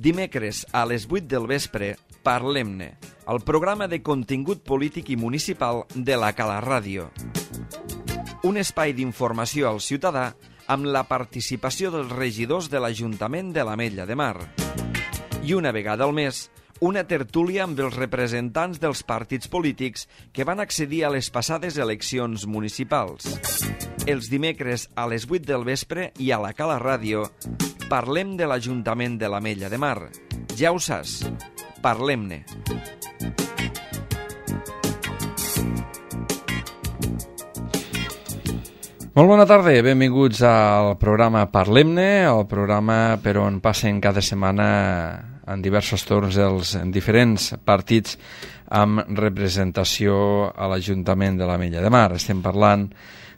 Dimecres a les 8 del vespre, Parlem-ne, el programa de contingut polític i municipal de la Cala Ràdio. Un espai d'informació al ciutadà amb la participació dels regidors de l'Ajuntament de l'Ametlla de Mar. I una vegada al mes, una tertúlia amb els representants dels partits polítics que van accedir a les passades eleccions municipals. Els dimecres a les 8 del vespre i a la Cala Ràdio parlem de l'Ajuntament de l'Ametlla de Mar. Ja ho saps, parlem-ne. Molt bona tarda, benvinguts al programa Parlem-ne, el programa per on passen cada setmana en diversos torns els diferents partits amb representació a l'Ajuntament de l'Ametlla de Mar. Estem parlant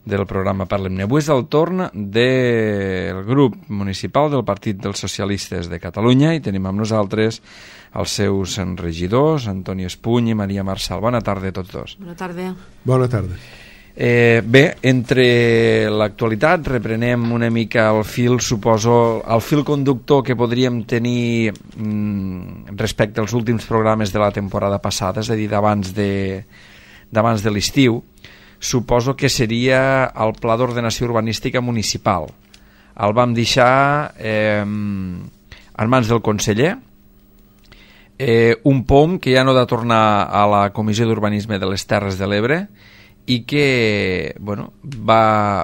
del programa Parlem-ne. Avui és el torn del grup municipal del Partit dels Socialistes de Catalunya i tenim amb nosaltres els seus regidors, Antoni Espuny i Maria Marçal. Bona tarda a tots dos. Bona tarda. Bona tarda. Bé, entre l'actualitat reprenem una mica el fil, suposo, el fil conductor que podríem tenir respecte als últims programes de la temporada passada, és a dir, d'abans de l'estiu. Suposo que seria el Pla d'Ordenació Urbanística Municipal. El vam deixar en mans del conseller, un POM que ja no ha de tornar a la Comissió d'Urbanisme de les Terres de l'Ebre i que va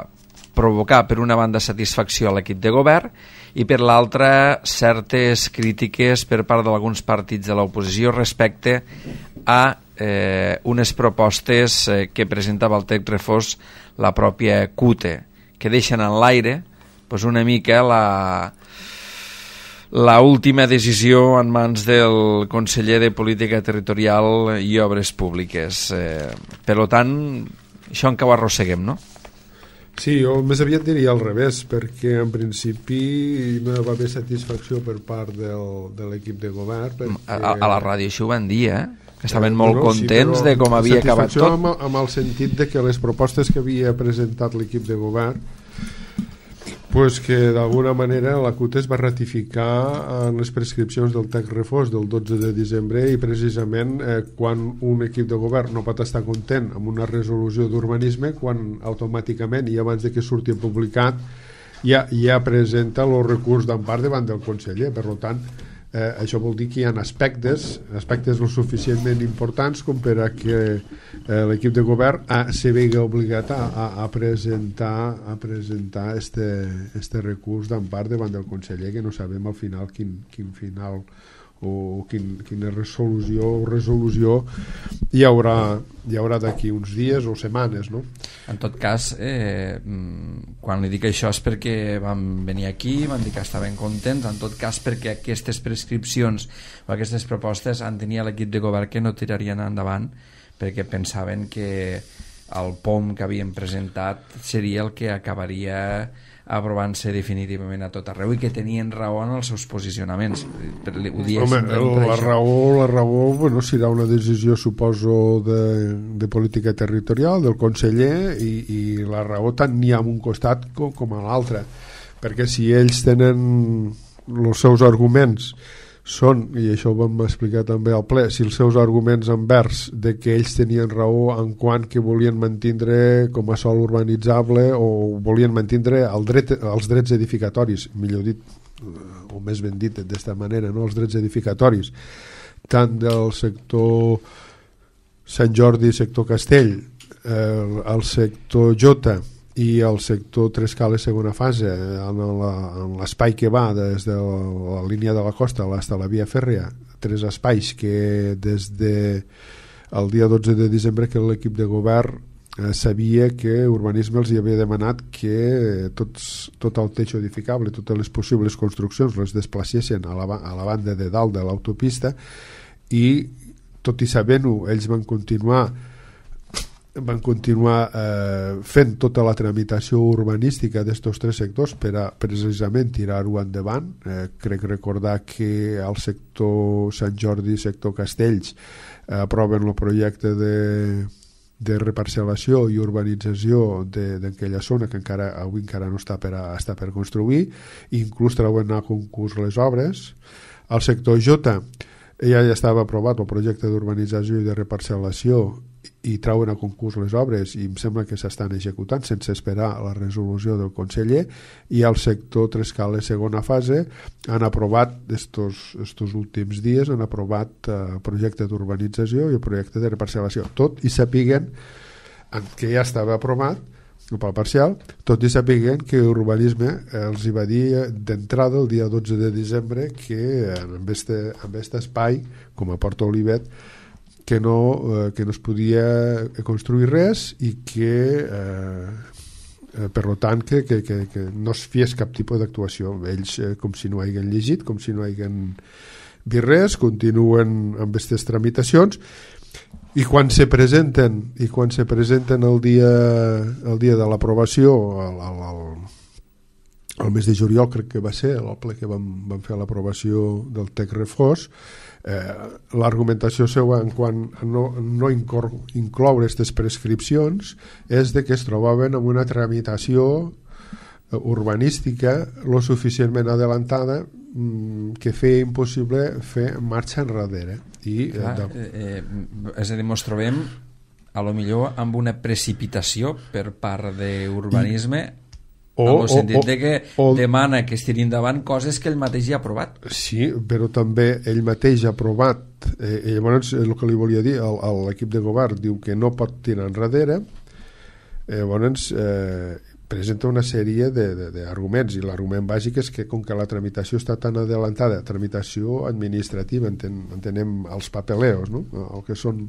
provocar per una banda satisfacció a l'equip de govern i per l'altra certes crítiques per part d'alguns partits de l'oposició respecte a unes propostes que presentava el text refós la pròpia CUTE, que deixen en l'aire una mica la última decisió en mans del conseller de Política Territorial i Obres Públiques. Per tant, això encara ho arrosseguem, no? Sí, jo més aviat diria al revés, perquè en principi no va haver satisfacció per part de l'equip de govern. Perquè... A la ràdio això ho van dir, que estaven molt contents de com havia acabat tot. Amb el sentit de que les propostes que havia presentat l'equip de govern, que d'alguna manera la CUT es va ratificar en les prescripcions del text refós del 12 de desembre i precisament quan un equip de govern no pot estar content amb una resolució d'urbanisme, quan automàticament i abans de que surti publicat ja presenta el recurs d'empart davant del conseller. Per tant, això vol dir que hi ha aspectes lo suficientment importants com per a que l'equip de govern se vegi obligat a presentar este recurs d'empart davant del conseller, que no sabem al final quin final o quina resolució hi haurà d'aquí uns dies o setmanes, no? En tot cas, quan li dic això és perquè vam venir aquí, van dir que estaven contents, en tot cas perquè aquestes prescripcions o aquestes propostes en tenia l'equip de govern que no tirarien endavant perquè pensaven que el POM que havien presentat seria el que acabaria aprovant-se definitivament a tot arreu i que tenien raó en els seus posicionaments. La raó serà una decisió, suposo, de política territorial del conseller i la raó tant n'hi ha en un costat com a l'altre, perquè si ells tenen els seus arguments són, i això ho vam explicar també al ple, si els seus arguments envers de que ells tenien raó en quant que volien mantindre com a sòl urbanitzable o volien mantindre els drets edificatoris, millor dit o més ben dit d'esta manera, no? Els drets edificatoris tant del sector Sant Jordi, sector Castell, el sector Jota i el sector Trescales segona fase en l'espai que va des de la línia de la costa fins a la via fèrrea, 3 espais que des del dia 12 de desembre que l'equip de govern sabia que Urbanisme els hi havia demanat que tot el teixo edificable, totes les possibles construccions les desplacessin a la banda de dalt de l'autopista i tot i sabent-ho ells van continuar fent tota la tramitació urbanística d'estos 3 sectors per a precisament tirar-ho endavant. Crec recordar que al sector Sant Jordi, sector Castells, aproven el projecte de reparcel·lació i urbanització d'aquella zona que avui encara no està per construir, inclús treuen a concurs les obres. Al sector J ja estava aprovat el projecte d'urbanització i de reparcel·lació i treuen a concurs les obres i em sembla que s'estan executant sense esperar la resolució del conseller, i al sector Trescales segona fase han aprovat estos últims dies el projecte d'urbanització i el projecte de reparcel·lació, tot i sapiguen que ja estava aprovat pel parcial, tot i sapiguen que Urbanisme els hi va dir d'entrada el dia 12 de desembre que en aquest espai com a Port Olivet que no es podia construir res i que per tant que no es fes cap tipus d'actuació. Ells com si no hagin llegit, com si no hagin vist res, continuen amb aquestes tramitacions, i quan se presenten el dia de l'aprovació el mes de juliol, crec que va ser el ple que vam fer l'aprovació del TEC Refós, l'argumentació seva en quant a no incloure aquestes prescripcions és de que es trobaven amb una tramitació urbanística lo suficientment adelantada que feia impossible fer marxa enrere. És a dir, ens trobem a lo millor amb una precipitació per part d'Urbanisme en el sentit de que demana que es tirin endavant coses que ell mateix ja ha aprovat. Sí, però també ell mateix ha aprovat, llavors el que li volia dir, l'equip de govern diu que no pot tirar enrere, llavors presenta una sèrie d'arguments, i l'argument bàsic és que com que la tramitació està tan adelantada, tramitació administrativa, entenem els papeleos, no? El que són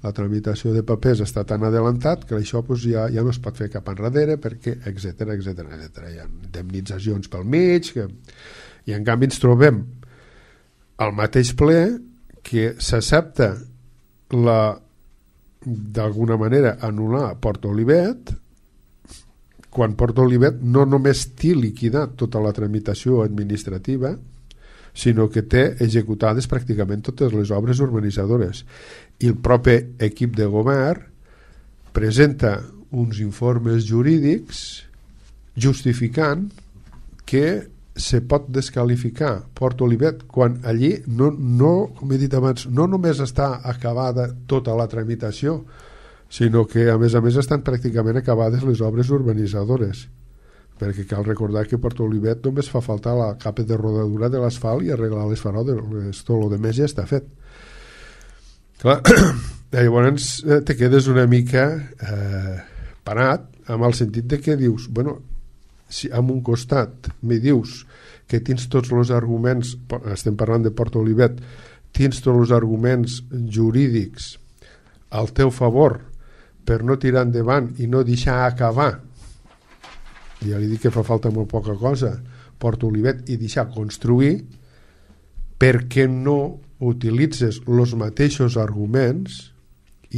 la tramitació de papers està tan adelantat que això ja no es pot fer cap enrere perquè, etc. Hi ha indemnitzacions pel mig, i en canvi ens trobem al mateix ple que s'accepta d'alguna manera anul·lar Port Olivet, quan Port Olivet no només té liquidat tota la tramitació administrativa, sinó que té executades pràcticament totes les obres urbanitzadores, i el propi equip de govern presenta uns informes jurídics justificant que se pot desqualificar Port Olivet quan allí com he dit abans, no només està acabada tota la tramitació, sinó que a més estan pràcticament acabades les obres urbanitzadores, perquè cal recordar que a Port Olivet només fa faltar la capa de rodadura de l'asfalt i arreglar les faroles, tot el de més ja està fet. Clar, llavors te quedes una mica parat amb el sentit de que dius, bueno, si en un costat me dius que tens tots els arguments, estem parlant de Port Olivet, tens tots els arguments jurídics al teu favor per no tirar endavant i no deixar acabar, ja li dic que fa falta molt poca cosa, Port Olivet, i deixar construir, perquè no utilitzes els mateixos arguments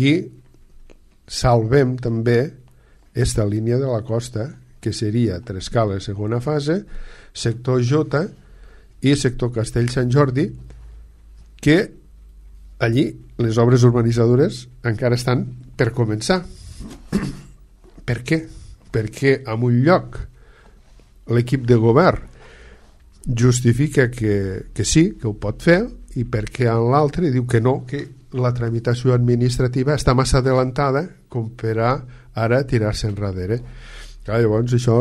i salvem també esta línia de la costa, que seria Trescales segona fase, sector J i sector Castell Sant Jordi, que allí les obres urbanitzadores encara estan per començar. Per què? Perquè en un lloc l'equip de govern justifica que sí, que ho pot fer, i perquè en l'altre diu que no, que la tramitació administrativa està massa adelantada com per a ara tirar-se enrere. Clar, llavors això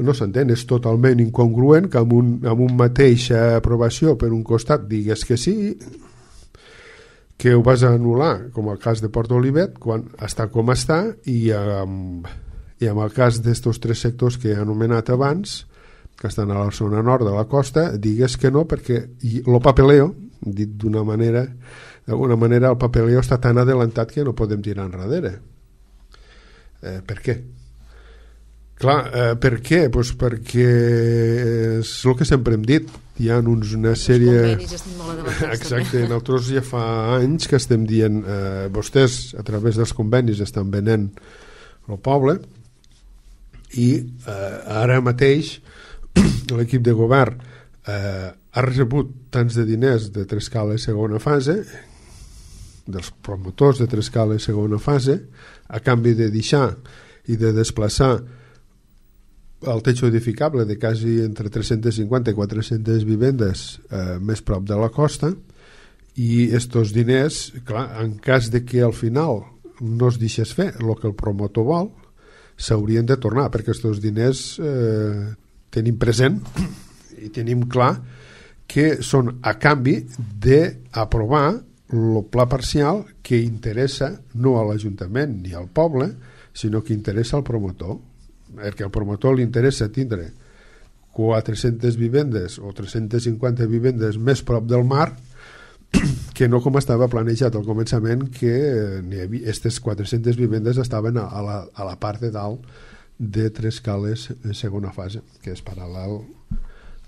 no s'entén, és totalment incongruent que amb un mateixa aprovació per un costat digues que sí, que ho vas a anul·lar, com el cas de Port Olivet, quan està com està, i amb el cas d'estos tres sectors que he anomenat abans, que estan a la zona nord de la costa, digues que no, perquè el papeleo, dit d'alguna manera el papeleo està tan adelantat que no podem tirar enrere. Per què? Clar, per què? Pues perquè és el que sempre hem dit, hi ha una sèrie... Els convenis estan molt adelantats. Exacte, nosaltres ja fa anys que estem dient vostès a través dels convenis estan venent el poble, i ara mateix l'equip de govern ha rebut tants de diners de Trescales segona fase, dels promotors de Trescala segona fase, a canvi de deixar i de desplaçar el techo edificable de quasi entre 350 i 400 vivendes més prop de la costa, i estos diners, clar, en cas de que al final no es deixés fer el que el promotor vol, s'haurien de tornar, perquè estos diners tenim present i tenim clar que són a canvi d'aprovar el pla parcial que interessa no a l'Ajuntament ni al poble, sinó que interessa al promotor, perquè al promotor li interessa tindre 400 vivendes o 350 vivendes més prop del mar, que no com estava planejat al començament, que aquestes 400 vivendes estaven a la part de dalt de Trescales segona fase, que és paral·lel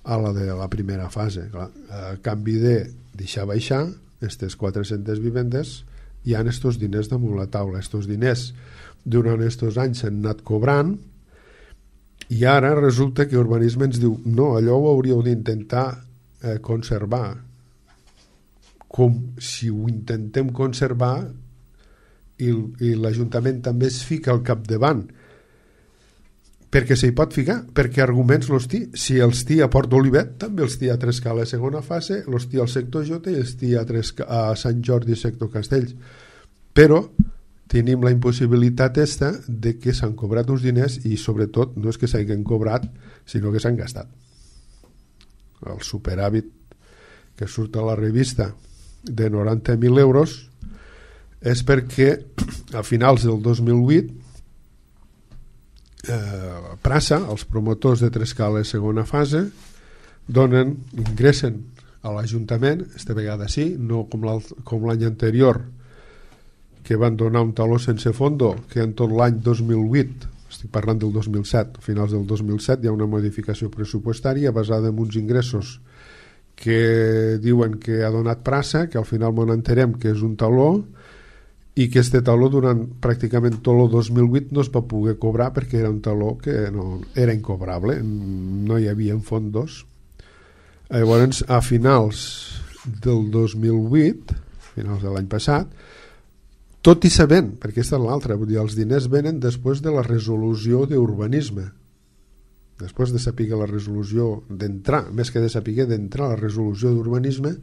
a la de la primera fase. Clar, a canvi de deixar baixar aquestes 400 vivendes, hi ha estos diners damunt la taula. Estos diners durant estos anys s'han anat cobrant, i ara resulta que Urbanisme ens diu no, allò ho hauríeu d'intentar conservar. Com si ho intentem conservar i l'Ajuntament també es fica al capdavant, perquè s'hi pot ficar, perquè arguments els té. Si els té a Port d'Olivet, també els té a Trescala segona fase, els té al sector J i els té a Sant Jordi sector Castells. Però tenim la impossibilitat de que s'han cobrat uns diners, i sobretot no és que s'hagin cobrat, sinó que s'han gastat. El superàvit que surt a la revista de 90.000 euros és perquè a finals del 2008 Prasa, els promotors de Trescala segona fase, ingressen a l'Ajuntament, esta vegada sí, no com l'any anterior, que van donar un taló sense fondo, que en tot l'any 2008, estic parlant del 2007, a finals del 2007 hi ha una modificació pressupostària basada en uns ingressos que diuen que ha donat Prasa, que al final m'ho enterem que és un taló, i que este taló durant pràcticament tot el 2008 no es va poder cobrar perquè era un taló que no, era incobrable, no hi havia fondos. Llavors, a finals del 2008, finals de l'any passat, tot i sabent, perquè aquesta és l'altra, vull dir, els diners venen després de la resolució d'urbanisme, després de saber la resolució d'entrar, més que de saber d'entrar a la resolució d'urbanisme.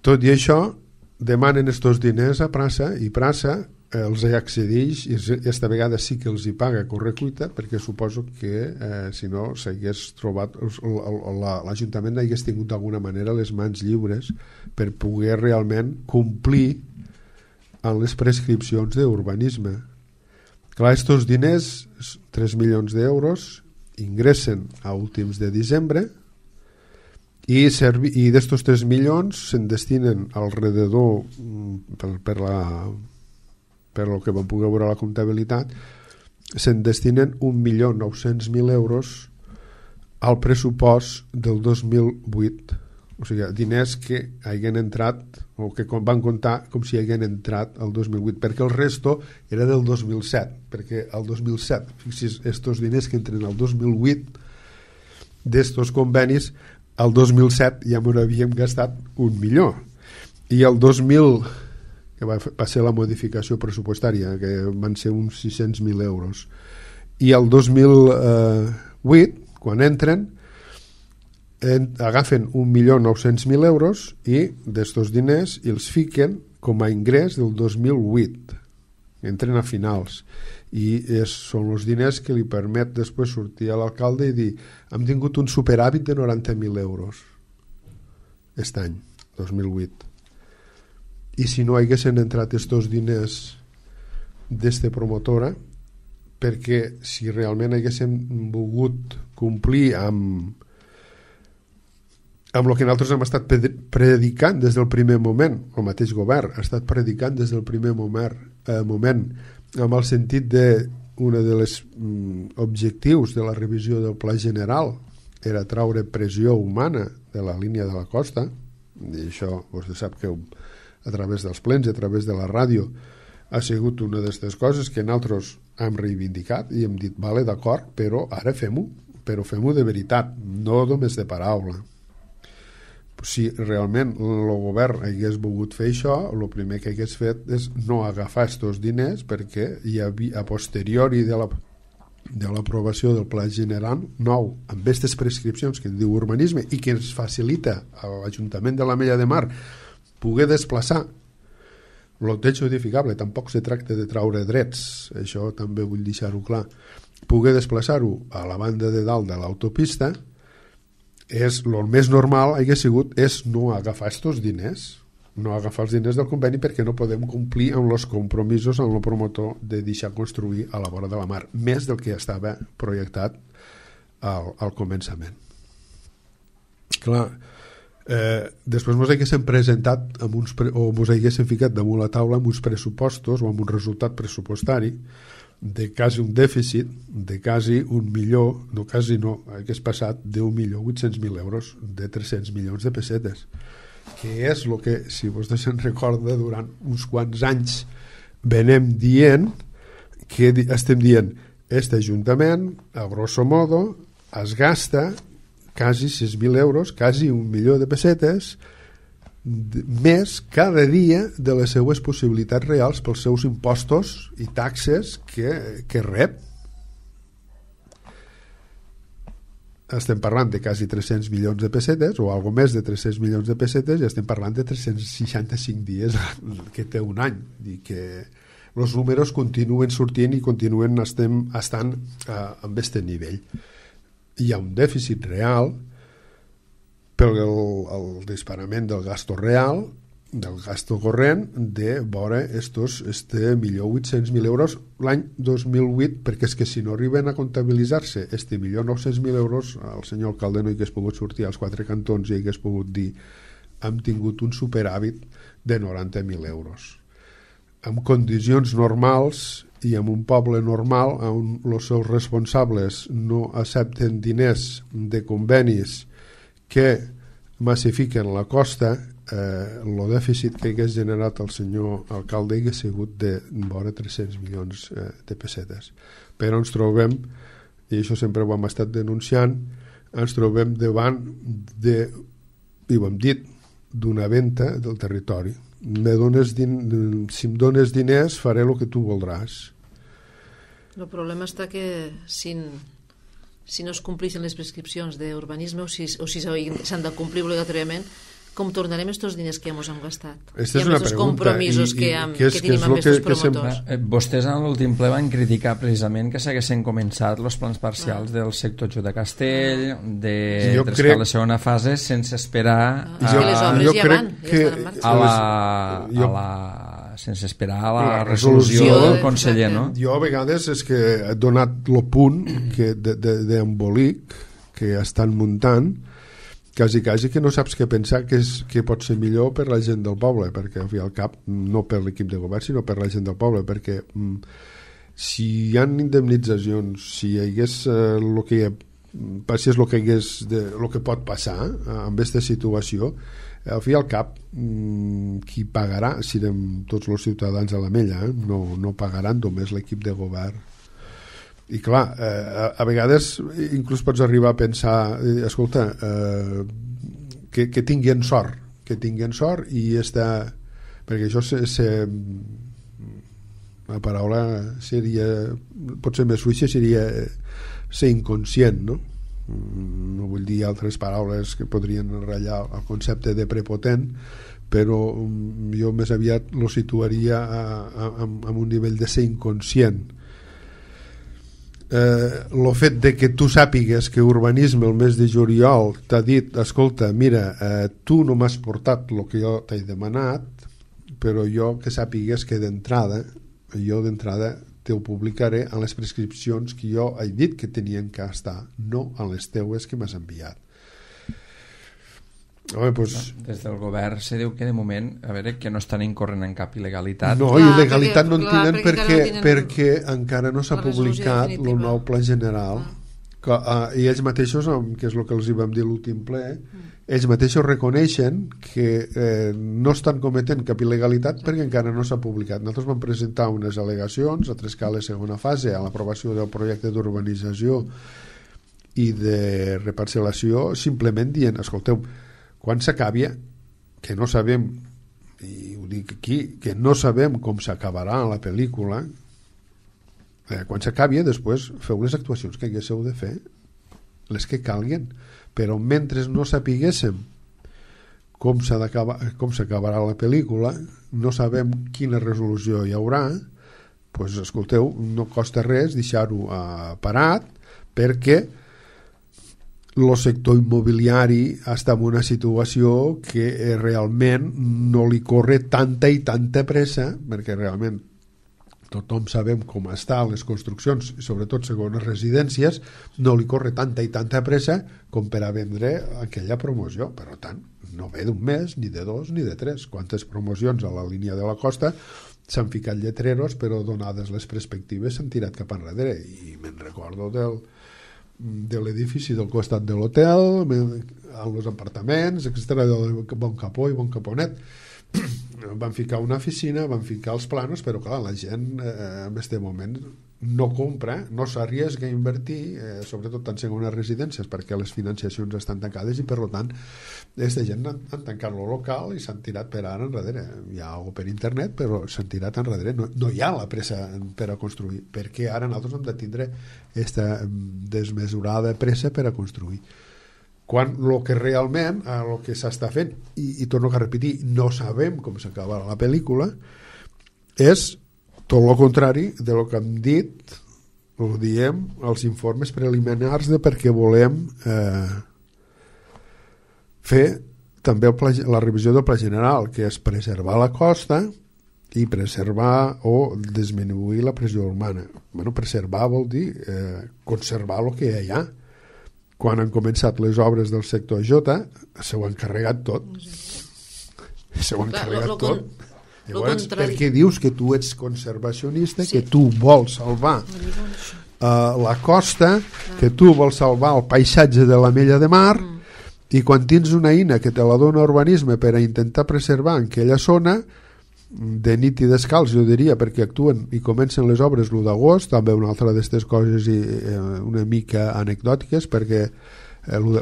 Tot i això demanen estos diners a Prasa, i Prasa els accedeix, i aquesta vegada sí que els hi paga a correcuita, perquè suposo que si no s'hagués trobat l'Ajuntament hagués tingut d'alguna manera les mans lliures per poder realment complir amb les prescripcions d'urbanisme. Clar, estos diners, 3 milions d'euros, ingressen a últims de desembre, i d'estos 3 milions se'n destinen alrededor per el que vam poder veure a la comptabilitat, se'n destinen 1.900.000 euros al pressupost del 2008, o sigui, diners que hagin entrat o que van comptar com si hagin entrat el 2008, perquè el resto era del 2007, perquè el 2007, fixis, estos diners que entren al 2008 d'estos convenis, el 2007 ja m'ho havíem gastat 1 milió, i el 2000, que va ser la modificació pressupostària, que van ser uns 600.000 euros, i el 2008, quan entren, agafen 1.900.000 euros i d'estos diners els fiquen com a ingrés del 2008, entren a finals, i són els diners que li permet després sortir a l'alcalde i dir hem tingut un superàvit de 90.000 euros aquest any, 2008, i si no haguessin entrat estos diners d'esta promotora, perquè si realment haguéssim volgut complir amb el que nosaltres hem estat predicant des del primer moment, el mateix govern ha estat predicant des del primer moment amb el sentit de un dels objectius de la revisió del Pla General era traure pressió humana de la línia de la costa, i això vostè sap que a través dels plens i a través de la ràdio ha sigut una d'aquestes coses que nosaltres hem reivindicat i hem dit, vale, d'acord, però ara fem-ho, però fem-ho de veritat, no només de paraula. si realment el govern hagués volgut fer això, el primer que hagués fet és no agafar aquests diners, perquè hi havia, a posteriori de l'aprovació del Pla General nou, amb aquestes prescripcions que diu urbanisme i que ens facilita a l'Ajuntament de l'Ametlla de Mar poder desplaçar el techo edificable. Tampoc se tracta de traure drets, això també vull deixar-ho clar, poder desplaçar-ho a la banda de dalt de l'autopista. És el més normal hagués sigut és no agafar aquests diners, no agafar els diners del conveni, perquè no podem complir amb els compromisos amb el promotor de deixar construir a la vora de la mar, més del que estava projectat al començament. Clar, després ens haguéssim presentat amb uns o ens haguéssim ficat damunt la taula amb uns pressupostos o amb un resultat pressupostari de quasi un dèficit de quasi 1 milió, no quasi no, hagués passat de 1.800.000 euros, de 300 milions de pessetes, que és el que, si vostè se'n recorda, durant uns quants anys venem dient, que estem dient, este ajuntament, a grosso modo, es gasta quasi 6.000 euros, quasi 1 milió de pessetes, més cada dia de les seues possibilitats reals pels seus impostos i taxes que rep. Estem parlant de quasi 300 milions de pessetes o algo més de 300 milions de pessetes, i estem parlant de 365 dies que té un any, i que els números continuen sortint i continuen estant amb aquest nivell. Hi ha un dèficit real pel el disparament del gasto real, del gasto corrent, de vora estos 1.800.000 euros l'any 2008, perquè és que si no arriben a comptabilitzar-se 1.900.000 euros, el senyor alcalde no hi hagués pogut sortir als 4 cantons i hagués pogut dir hem tingut un superàvit de 90.000 euros. En condicions normals i en un poble normal on els seus responsables no accepten diners de convenis que massifiquen la costa, el dèficit que hagués generat el senyor alcalde hagués sigut de vora 300 milions de pessetes. Però ens trobem, i això sempre ho hem estat denunciant, ens trobem davant de, i ho hem dit, d'una venda del territori. Si em dones diners faré el que tu voldràs. El problema està que si no es compleixen les prescripcions d'urbanisme o si s'han de complir obligatòriament, com tornarem aquests diners que ja ens hem gastat? Aquesta és una pregunta. Compromisos que tenim amb aquests promotors. Vostès en l'últim ple van criticar precisament que s'haguessin començat els plans parcials del sector Jut de Castell, de Trescar la segona fase, sense esperar les obres ja van sense esperar a la resolució del conseller, no? Jo a vegades és que he donat el punt d'embolic que estan muntant, quasi que no saps què pensar, que pot ser millor per la gent del poble, perquè al fi al cap, no per l'equip de govern sinó per la gent del poble, perquè si hi ha indemnitzacions, si hi hagués el que passés el que pot passar amb aquesta situació, al fi al cap qui pagarà serem tots els ciutadans de l'Ametlla, no pagaran només l'equip de govern. I clar, a vegades inclús pots arribar a pensar, escolta, que tinguin sort i perquè això la paraula seria, potser més fluixa, seria ser inconscient, no? No vull dir altres paraules que podrien ratllar el concepte de prepotent, però jo més aviat lo situaria amb un nivell de ser inconscient. El fet de que tu sàpigues que urbanisme el mes de juliol t'ha dit, escolta, mira, tu no m'has portat el que jo t'he demanat, però jo que sàpigues que d'entrada te ho publicaré en les prescripcions que jo he dit que tenien que estar, no en les teues que m'has enviat. Home, pues... Des del govern se diu que de moment, a veure, que no estan incorrent en cap il·legalitat. No, il·legalitat no en tenen perquè encara no s'ha publicat el nou pla general, i ells mateixos, que és el que els hi vam dir l'últim ple, ells mateixos reconeixen que no estan cometent cap il·legalitat perquè encara no s'ha publicat. Nosaltres vam presentar unes al·legacions a Trescar la segona fase a l'aprovació del projecte d'urbanització i de reparcel·lació, simplement dient, escolteu, quan s'acabi, que no sabem, i ho dic aquí, que no sabem com s'acabarà la pel·lícula, quan s'acabi, després feu les actuacions que haguéssiu de fer, les que calguen, però mentre no sapiguéssim com s'acabarà la pel·lícula, no sabem quina resolució hi haurà, doncs escolteu, no costa res deixar-ho parat, perquè el sector immobiliari està en una situació que realment no li corre tanta i tanta pressa, perquè realment tothom sabem com estan les construccions, i sobretot segones residències, no li corre tanta i tanta pressa com per a vendre aquella promoció. Per tant, no ve d'un mes, ni de dos, ni de tres. Quantes promocions a la línia de la costa s'han ficat lletreros, però donades les perspectives s'han tirat cap enrere. I me'n recordo de l'edifici del costat de l'hotel, amb els apartaments, etc., de Bon Capó i Bon Caponet. Van ficar una oficina, van ficar els planos, però clar, la gent en aquest moment no compra, no s'arriesga a invertir, sobretot en segones residències, perquè les financiacions estan tancades i per tant aquesta gent han tancat el local i s'han tirat per ara enrere. Hi ha alguna per internet, però s'han tirat enrere. No hi ha la pressa per a construir, perquè ara nosaltres hem de tindre aquesta desmesurada pressa per a construir. Quan el que realment, el que s'està fent, i torno a repetir, no sabem com s'acabarà la pel·lícula, és tot el contrari de lo que hem dit, ho diem, els informes preliminars de perquè volem fer també la revisió del pla general, que és preservar la costa i preservar o disminuir la pressió humana. Bueno, preservar vol dir conservar el que hi ha. Quan han començat les obres del sector J, s'ho han carregat tot. S'ho han carregat tot. Llavors, per què dius que tu ets conservacionista, que tu vols salvar la costa, que tu vols salvar el paisatge de la Mella de Mar, i quan tens una eina que te la dona urbanisme per a intentar preservar en aquella zona, de nit i descalç, jo diria, perquè actuen i comencen les obres l'1 d'agost, també una altra d'aquestes coses una mica anecdòtiques, perquè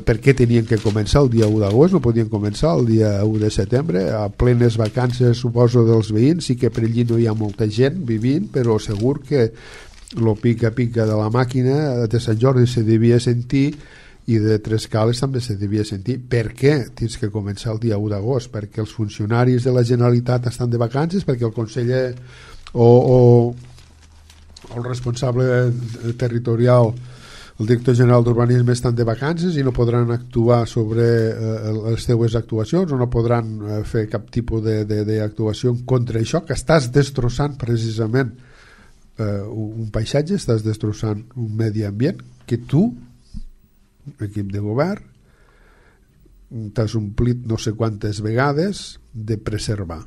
per què tenien que començar el dia 1 d'agost, no podien començar el dia 1 de setembre, a plenes vacances, suposo, dels veïns. Sí que per allí no hi ha molta gent vivint, però segur que el pica-pica de la màquina de Sant Jordi se devia sentir, i de Trescales també se devia sentir. Per què tens que començar el dia 1 d'agost? Perquè els funcionaris de la Generalitat estan de vacances, perquè el conseller o el responsable territorial, el director general d'urbanisme, estan de vacances i no podran actuar sobre les teues actuacions, o no podran fer cap tipus d'actuació contra això, que estàs destrossant precisament un paisatge, estàs destrossant un medi ambient que tu, equip de govern, t'has omplit no sé quantes vegades de preservar.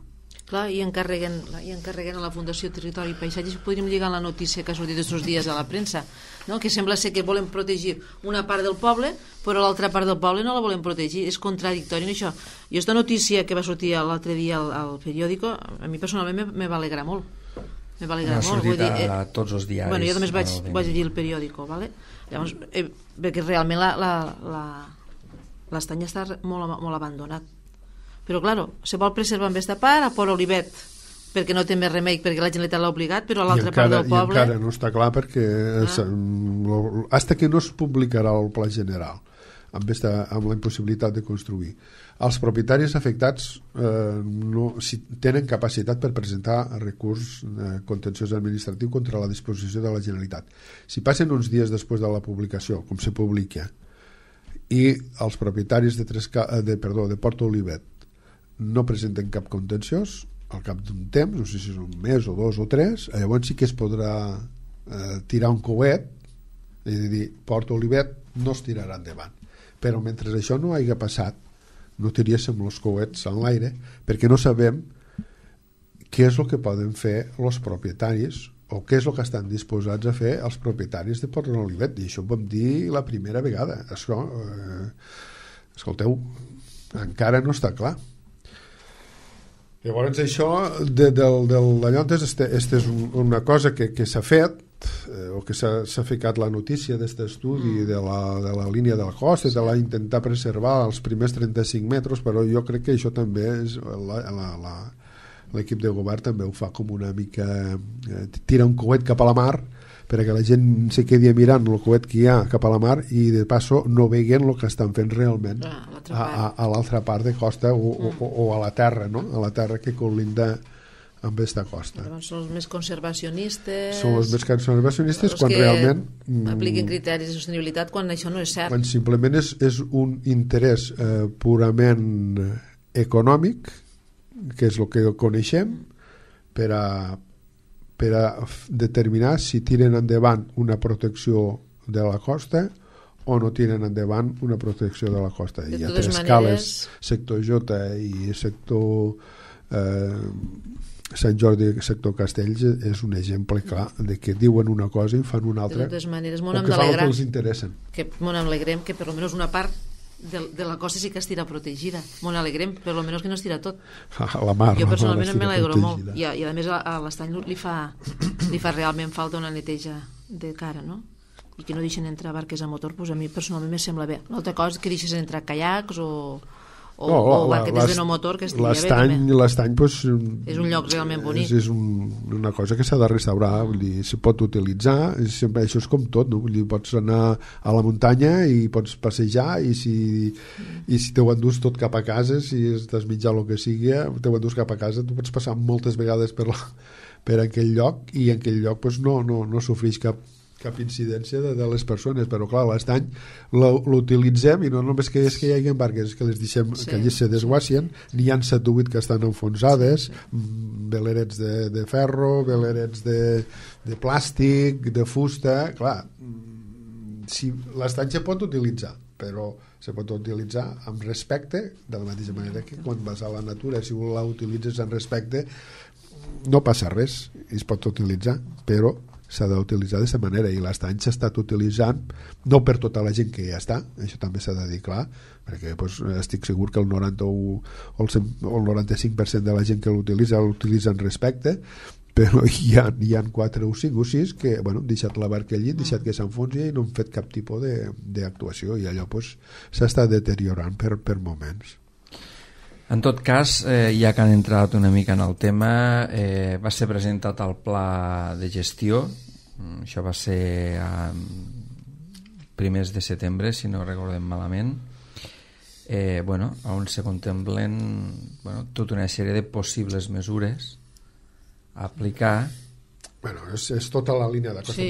Clar, i encarreguen a la Fundació Territori i Paisatges. Podríem lligar la notícia que ha sortit aquests dies a la premsa, no? Que sembla ser que volen protegir una part del poble, però l'altra part del poble no la volen protegir. És contradictori en això. I aquesta notícia que va sortir l'altre dia al periòdico, a mi personalment me va alegrar molt. Me va alegrar molt. Ha sortit a tots els diaris. Bueno, jo només vaig llegir el periòdico, ¿vale? Llavors, perquè realment l'estany està molt abandonat. Però, claro, se vol preservar amb aquesta part a Port Olivet, perquè no té més remei, perquè la Generalitat l'ha obligat, però a l'altra part del poble... I encara no està clar, perquè hasta que no es publicarà el pla general amb la impossibilitat de construir, els propietaris afectats si tenen capacitat per presentar recurs contenciós administratiu contra la disposició de la Generalitat. Si passen uns dies després de la publicació, com se publica, i els propietaris de Port Olivet no presenten cap contenciós, al cap d'un temps, no sé si és un mes o 2 o 3, llavors sí que es podrà tirar un coet i dir, Port Olivet no es tirarà endavant. Però mentre això no hagi passat, no tiríem els coets en l'aire, perquè no sabem què és el que poden fer els propietaris, o què és el que estan disposats a fer els propietaris de Port Olivet. I això ho vam dir la primera vegada. Això, escolteu, encara no està clar. Llavors això d'allò és una cosa que s'ha fet, o que s'ha ficat la notícia d'aquest estudi de la línia de la costa, de la intentar preservar els primers 35 metres, però jo crec que això també és l'equip de govern també ho fa com una mica tira un coet cap a la mar perquè la gent se quedi mirant el coet que hi ha cap a la mar i de passo no veien el que estan fent realment a l'altra part de costa o a la terra, no? A la terra que colinda amb aquesta costa. Llavors són els més conservacionistes... Són els més conservacionistes quan realment... apliquen criteris de sostenibilitat quan això no és cert. Quan simplement és un interès purament econòmic, que és el que coneixem, per a determinar si tiren endavant una protecció de la costa o no tiren endavant una protecció de la costa. Hi ha tres escales, sector J i sector Sant Jordi, sector Castells és un exemple clar de que diuen una cosa i fan una altra, de totes maneres, o que fan el que els interessa. Molt alegrem que per almenys una part de la costa sí que estirà protegida. Molt alegrem, per almenys que no estirà tot. La mar, jo personalment me l'alegro molt. I a més a l'estany li fa realment falta una neteja de cara, no? I que no deixen entrar barques a motor, doncs a mi personalment me sembla bé. L'altra cosa és que deixes entrar caiacs o barquetes de no motor, que estaria bé també. L'estany pues, és un lloc realment bonic. És una cosa que s'ha de restaurar, vull dir, se pot utilitzar, sempre, això és com tot, no? Vull dir, pots anar a la muntanya i pots passejar i si t'ho endús tot cap a casa, si estàs mitjà el que sigui, t'ho endús cap a casa, tu pots passar moltes vegades per aquell lloc i en aquell lloc pues, no sofreix cap incidència de les persones, però clar, l'estany l'utilitzem i no només que és que hi hagi barques, que les deixem que allí se desguacien, n'hi ha 7 o 8 que estan enfonsades, velerets de ferro, velerets de plàstic, de fusta, clar, si l'estany se pot utilitzar, però se pot utilitzar amb respecte, de la mateixa manera que quan vas a la natura, si la utilitzes amb respecte, no passa res, es pot utilitzar, però s'ha d'utilitzar d'aquesta manera i l'estany s'ha estat utilitzant no per tota la gent que ja està, això també s'ha de dir clar, perquè pues, estic segur que el 90 o el 95% de la gent que l'utilitza en respecte, però hi ha 4 o 5 o 6 que han deixat la barca allí, deixat que s'enfonsi i no han fet cap tipus d'actuació i allò pues, s'està deteriorant per moments. En tot cas, ja que han entrat una mica en el tema, va ser presentat el pla de gestió, això va ser a primers de setembre, si no recordem malament, on se contemplen tota una sèrie de possibles mesures a aplicar. És tota la línia de costa,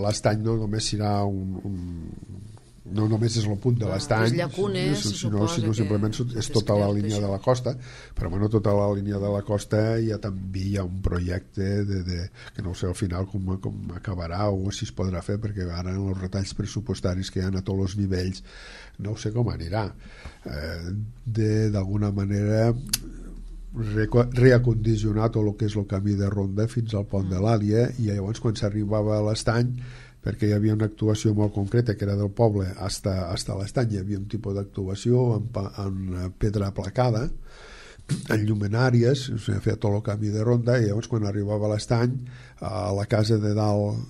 l'estany no només serà no només és el punt de l'estany, sinó simplement és tota la línia de la costa, però tota la línia de la costa també hi ha un projecte que no sé al final com acabarà o si es podrà fer, perquè ara en els retalls pressupostaris que hi ha a tots els nivells no sé com anirà, d'alguna manera reacondicionar tot el que és el camí de ronda fins al pont de l'Àlia, i llavors quan s'arribava a l'estany, perquè hi havia una actuació molt concreta que era del poble fins a l'estany, hi havia un tipus d'actuació en pedra placada, en llumenàries, s'ha fet tot el camí de ronda, i llavors quan arribava a l'estany, a la casa de dalt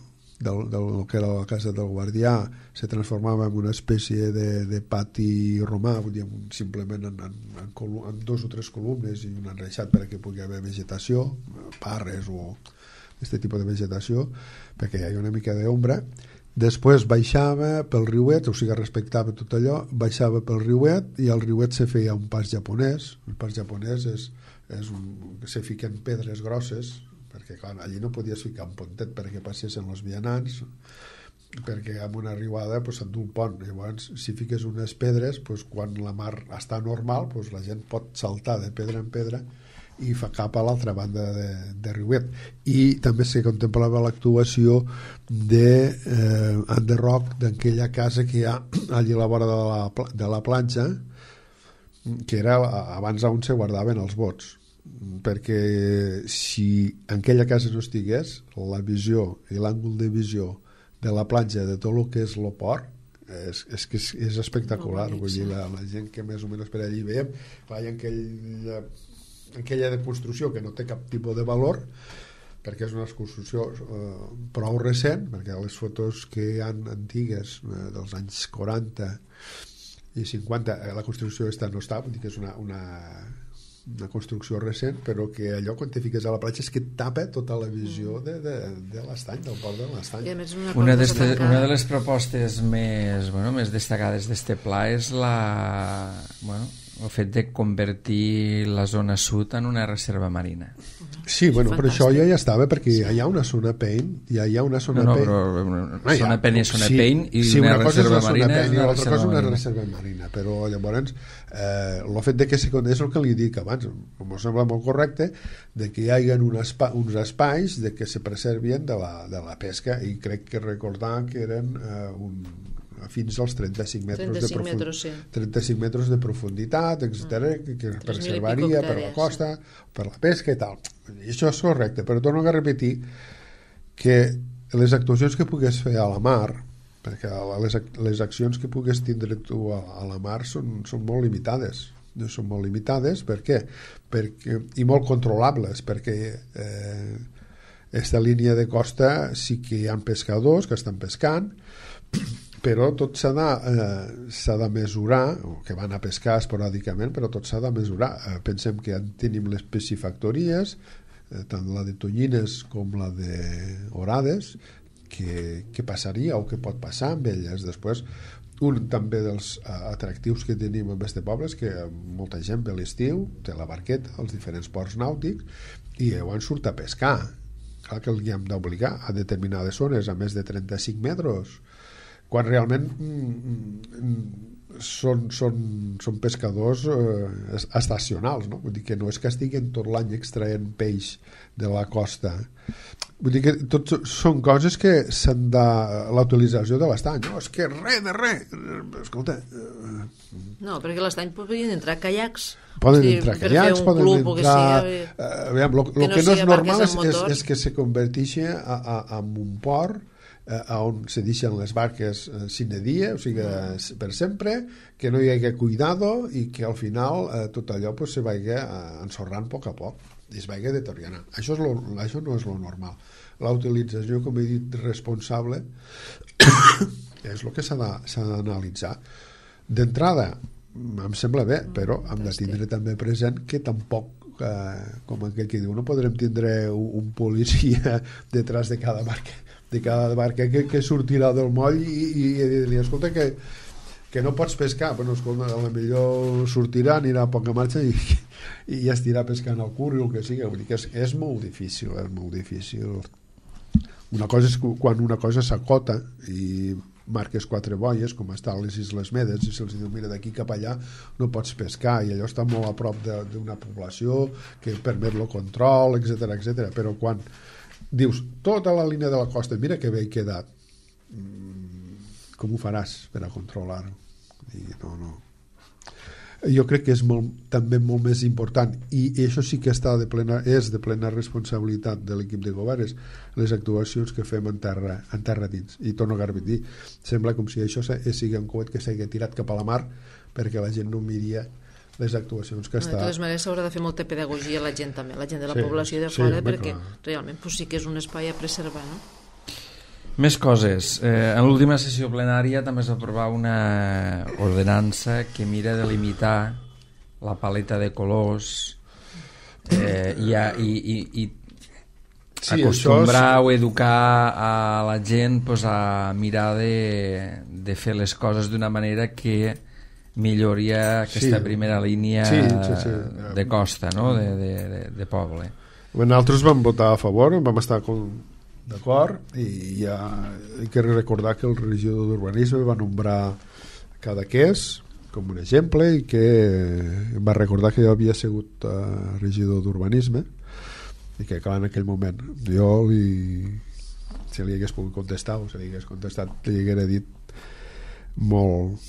del que era la casa del guardià se transformava en una espècie de pati romà, vull dir, simplement en 2 o 3 columnes i un enreixat perquè pugui haver vegetació, parres o aquest tipus de vegetació, perquè hi ha una mica d'ombra. Després baixava pel riuet, o sigui, respectava tot allò, baixava pel riuet i al riuet se feia un pas japonès. El pas japonès se fiquen pedres grosses, perquè clar, allí no podies ficar un pontet perquè passessin els vianants, perquè amb una arribada s'endú un pont. Llavors, si fiques unes pedres, quan la mar està normal, la gent pot saltar de pedra en pedra i fa cap a l'altra banda de riuet. I també se contemplava l'actuació d'enderroc d'aquella casa que hi ha allà a la vora de la platja, que era abans on se guardaven els bots, perquè si en aquella casa no estigués, la visió i l'àngul de visió de la platja de tot el que és el port és espectacular. Vull dir, la gent que més o menys per allí veiem, hi ha aquella de construcció que no té cap tipus de valor, perquè és una construcció prou recent, perquè les fotos que hi ha antigues dels anys 40 i 50, la construcció aquesta no està, vull dir que és una construcció recent, però que allò quan te fiques a la platja és que tapa tota la visió de l'estany, del port de l'estany. Una de les propostes més destacades d'este pla és el fet de convertir la zona sud en una reserva marina. Sí, però això ja estava, perquè hi ha una zona Pein, hi ha una zona Pein. Zona Pein és zona Pein i una reserva marina és una l'altra cosa una reserva marina, però llavors el fet de que és el que li dic abans, em sembla molt correcte, de que hi hagi uns espais de que se preservien de la pesca, i crec que recordar que eren fins als 35 metres de profunditat, etc., que preservaria per la costa, per la pesca i tal. I això és correcte, però torno a repetir que les actuacions que pugues fer a la mar, perquè les accions que pugues tindre tu a la mar són molt limitades. Són molt limitades, per què? I molt controlables, perquè aquesta línia de costa sí que hi ha pescadors que estan pescant, però tot s'ha de mesurar, o que van a pescar esporàdicament, però tot s'ha de mesurar. Pensem que tenim les piscifactories, tant la de tonyines com la d'orades, què passaria o què pot passar amb elles. Després, un també dels atractius que tenim en este poble és que molta gent ve a l'estiu, té la barqueta als diferents ports nàutics i llavors surt a pescar. Clar que li hem d'obligar a determinades zones a més de 35 metres, quan realment són pescadors estacionals, no? Vull dir que no és que estiguin tot l'any extraient peix de la costa. Vull dir que tot són coses que s'han de... La utilització de l'estany, no, és que res de res. Escolta... No, perquè l'estany podrien entrar caiacs. Poden entrar caiacs, poden entrar... El que no és normal és que se converteixi en un port on se deixen les barques sine dia, o sigui, per sempre, que no hi hagi cuidado i que al final tot allò se vagi ensorrant a poc a poc i es vagi deteriorant. Això no és lo normal. La utilització, com he dit, responsable és el que s'ha d'analitzar. D'entrada, em sembla bé, però hem de tindre també present que tampoc, com aquell que diu, no podrem tindre un policia detrás de cada barca que sortirà del moll i dir-li, escolta, que no pots pescar. Bueno, escolta, a la millor sortirà, anirà a poca marxa i ja estirà pescant al curt i el que sigui. Vull dir que és molt difícil, Una cosa és quan una cosa s'acota i marques 4 boies, com estan les Isles Medes, i se'ls diu, mira, d'aquí cap allà no pots pescar, i allò està molt a prop d'una població que permet el control, etc. Però quan dius, tota la línia de la costa, mira que bé he quedat, com ho faràs per a controlar-ho? No. Jo crec que és també molt més important, i això sí que és de plena responsabilitat de l'equip de govern, les actuacions que fem en terra dins. I torno a repetir, sembla com si això sigui un coet que s'hagi tirat cap a la mar perquè la gent no miria les actuacions que està... De totes maneres s'haurà de fer molta pedagogia a la gent també, la gent de la població de fora, perquè realment sí que és un espai a preservar, no? Més coses. En l'última sessió plenària també es va aprovar una ordenança que mira de limitar la paleta de colors i acostumbrar o educar a la gent a mirar de fer les coses d'una manera que milloria aquesta primera línia de costa, no? de poble. Nosaltres vam votar a favor, vam estar d'acord, i ja he de recordar que el regidor d'urbanisme va nombrar Cadaqués com un exemple, i que va recordar que jo havia sigut regidor d'urbanisme, i que clar, en aquell moment jo si li hagués pogut contestar o si li hagués contestat, li haguera dit molt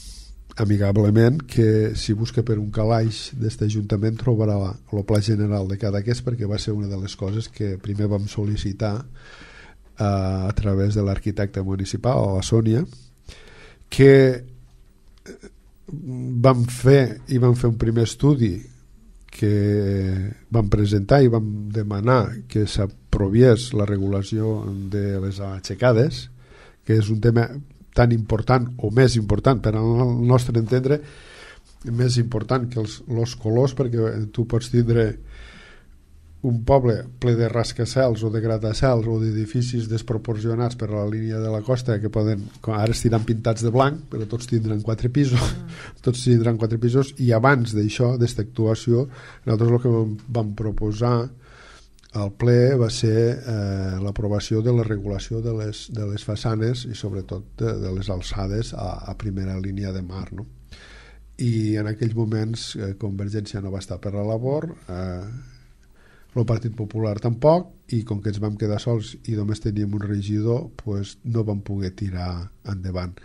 amigablement que si busca per un calaix d'este ajuntament trobarà el pla general de Cadaqués, perquè va ser una de les coses que primer vam sol·licitar a través de l'arquitecte municipal, a la Sònia, que vam fer un primer estudi que vam presentar i vam demanar que s'aproviés la regulació de les aixecades, que és un tema tan important o més important per al nostre entendre, més important que els colors, perquè tu pots tindre un poble ple de rascacels o de gratacels o d'edificis desproporcionats per a la línia de la costa que poden, ara estiran pintats de blanc, però tots tindran 4 pisos, i abans d'això, d'esta actuació, nosaltres el que vam proposar al ple va ser l'aprovació de la regulació de les façanes i sobretot de les alçades a primera línia de mar, no? I en aquells moments Convergència no va estar per la labor, el Partit Popular tampoc, i com que ens vam quedar sols i només teníem un regidor, pues no vam poder tirar endavant.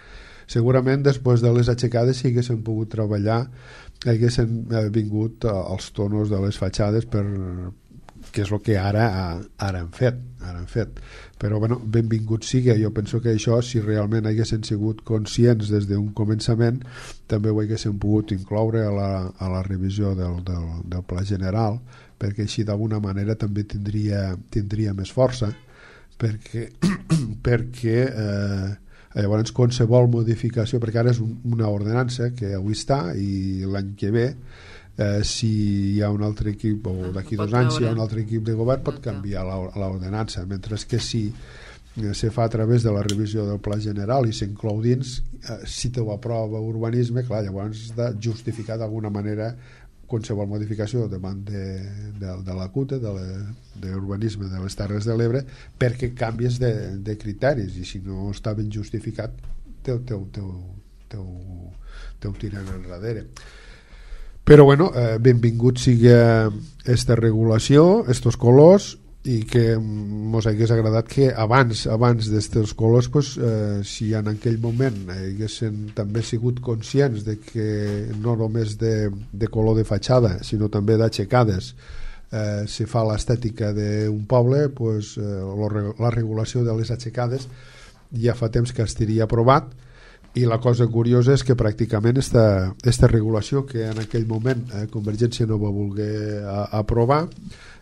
Segurament després de les aixecades, si haguéssim pogut treballar, haguessin vingut els tonos de les fatxades, que és el que ara han fet. Però bueno, benvingut sigui. Jo penso que això, si realment haguessin sigut conscients des d'un començament, també ho haguessin pogut incloure a la revisió del Pla General, perquè així d'alguna manera també tindria més força, perquè llavors qualsevol modificació, perquè ara és una ordenança que avui està i l'any que ve, si hi ha un altre equip o d'aquí 2 anys si hi ha un altre equip de govern pot canviar l'ordenança, mentre que si se fa a través de la revisió del Pla General i s'inclou dins, si te ho aprova urbanisme, clar, llavors has de justificar d'alguna manera qualsevol modificació davant de la CUTA, de l'urbanisme de les Terres de l'Ebre, perquè canvies de criteris, i si no està ben justificat teu tiren enrere. Però bueno, benvingut sigui aquesta regulació, estos colors, i que mos hagués agradat que abans d'estos colors, pues, si en aquell moment haguessin també sigut conscients de que no només de color de fatxada, sinó també d'aixecades se fa l'estètica d'un poble, pues, la regulació de les aixecades ja fa temps que estaria aprovat, i la cosa curiosa és que pràcticament esta regulació que en aquell moment Convergència no va voler aprovar,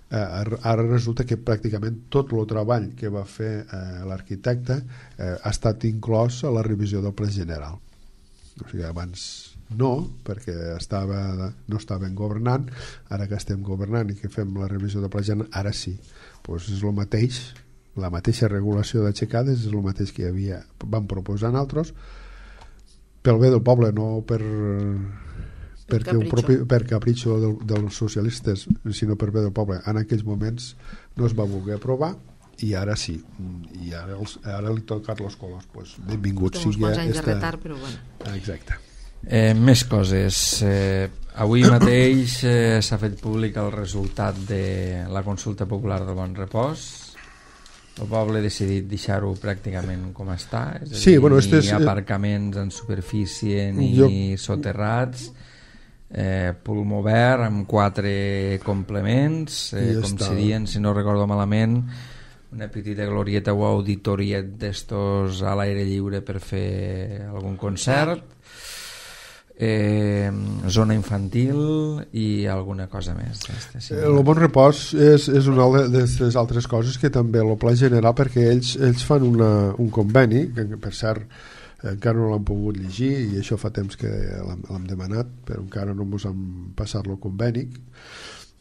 ara resulta que pràcticament tot el treball que va fer l'arquitecte ha estat inclòs a la revisió del Pla General. O sigui, abans no, perquè no estaven governant, ara que estem governant i que fem la revisió del Pla General, ara sí. Pues és el mateix, la mateixa regulació d'aixecades és el mateix que vam proposar nosaltres, pel bé del poble, no per capritxo dels socialistes, sinó per bé del poble. En aquells moments no es va voler aprovar i ara sí, i ara li tocat els colors, pues, benvingut sigui uns anys de retard, però bueno. Exacte. Més coses. Avui mateix s'ha fet públic el resultat de la consulta popular del Bon Repòs. El poble ha decidit deixar-ho pràcticament com està, és a dir, ni aparcaments en superfície ni soterrats, pulmó verd amb 4 complements, com serien, si no recordo malament, una petita glorieta o auditoriet d'estos a l'aire lliure per fer algun concert, zona infantil i alguna cosa més. El Bon Repòs és una de les altres coses que també el Pla General, perquè ells fan un conveni que per cert encara no l'han pogut llegir i això fa temps que l'hem demanat, però encara no ens han passat el conveni,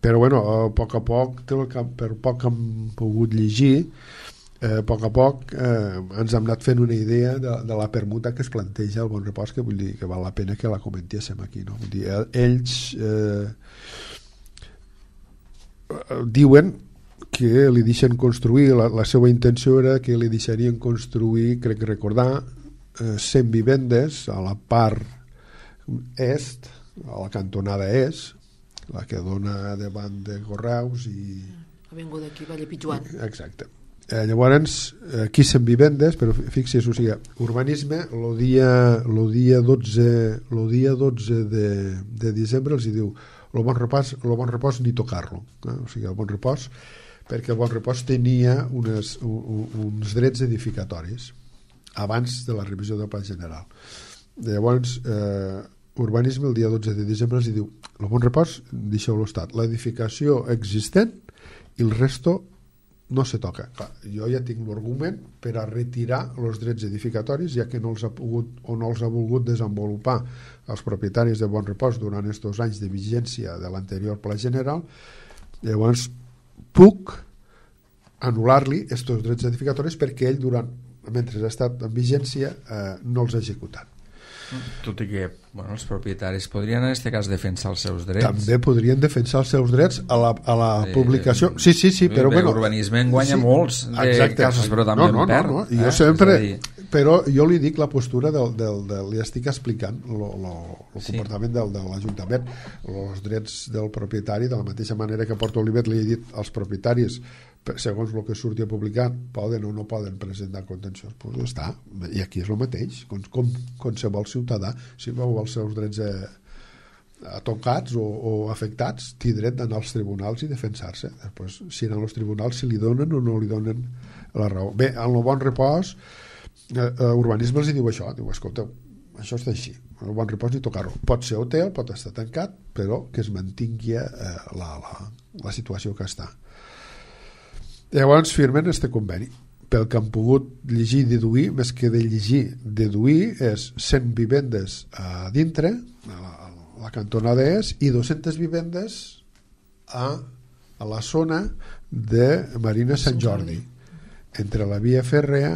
però bueno, a poc per poc que hem pogut llegir, a poc ens hem anat fent una idea de la permuta que es planteja al Bon Repòs, que vull dir que val la pena que la comentéssim aquí, no? Vull dir, ells diuen que li deixen construir, la seva intenció era que li deixarien construir, crec recordar, 100 vivendes a la part est, a la cantonada est, la que dona davant de Correus i Avinguda aquí, Valle Pitjuan. Exacte. Llavors, aquí 100 vivendes, però fixis, o sigui, urbanisme, el dia 12 de desembre els hi diu el Bon Repòs ni tocar-lo, o sigui, el Bon Repòs, perquè el Bon Repòs tenia uns drets edificatoris abans de la revisió del Pla General. Llavors, urbanisme el dia 12 de desembre els diu el Bon Repòs, deixeu-lo estat, l'edificació existent i el resto no se toca. Clar, jo ja tinc l'argument per a retirar els drets edificatoris, ja que no els ha pogut o no els ha volgut desenvolupar els propietaris de Bon Repòs durant aquests anys de vigència de l'anterior Pla General. Llavors puc anul·lar-li aquests drets edificatoris perquè ell mentre ha estat en vigència no els ha executat. Tot i que els propietaris podrien en aquest cas defensar els seus drets. També podrien defensar els seus drets a la publicació. Sí, però l'urbanisme en guanya molts casos, però també en perd. No. Jo sempre, però jo li dic la postura li estic explicant el comportament de l'Ajuntament, els drets del propietari, de la mateixa manera que a Port Olivet li he dit als propietaris, segons el que surti a publicar, poden o no poden presentar contenciós, doncs està, i aquí és el mateix, com qualsevol ciutadà, si veu els seus drets tocats o afectats, té dret d'anar als tribunals i defensar-se. Després, si anar als tribunals, si li donen o no li donen la raó. Bé, en el Bon Repòs urbanisme els diu això, diu, escolteu, això està així, el Bon Repòs ni tocar-ho, pot ser hotel, pot estar tancat, però que es mantingui la situació que està. Llavors firmen este conveni. Pel que han pogut llegir i deduir, més que de llegir, deduir és 100 vivendes a dintre, a la cantonada i 200 vivendes a la zona de Marina Sant Jordi, entre la via fèrrea